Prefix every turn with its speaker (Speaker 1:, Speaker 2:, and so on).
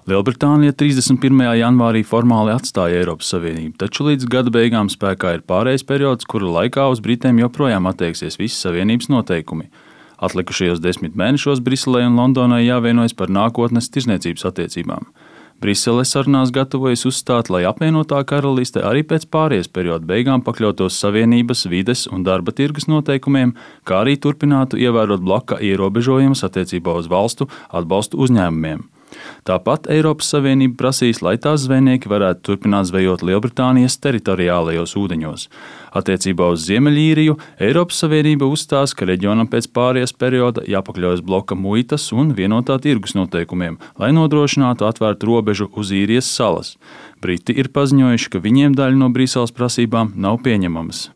Speaker 1: Lielbritānija 31. janvārī formāli atstāja Eiropas Savienību, taču līdz gada beigām spēkā ir pārejas periods, kura laikā uz Britiem joprojām attieksies visi Savienības noteikumi. Atlikušajos 10 mēnešos Briselei un Londonai jāvienojas par nākotnes tirzniecības attiecībām. Brisele sarunās gatavojas uzstāt, lai apvienotā karaliste arī pēc pārejas perioda beigām pakļautos Savienības vides un darba tirgus noteikumiem, kā arī turpinātu ievērot bloka ierobežojumus attiecībā uz valstu atbalstu uzņēmumiem. Tāpat Eiropas Savienība prasīs, lai tās zvejnieki varētu turpināt zvejot Lielbritānijas teritoriālajos ūdeņos. Attiecībā uz Ziemeļīriju Eiropas Savienība uzstās, ka reģionam pēc pārejas perioda jāpakļaujas bloka muitas un vienotā tirgus noteikumiem, lai nodrošinātu atvērtu robežu uz Īrijas salas. Briti ir paziņojuši, ka viņiem daļa no Briseles prasībām nav pieņemamas.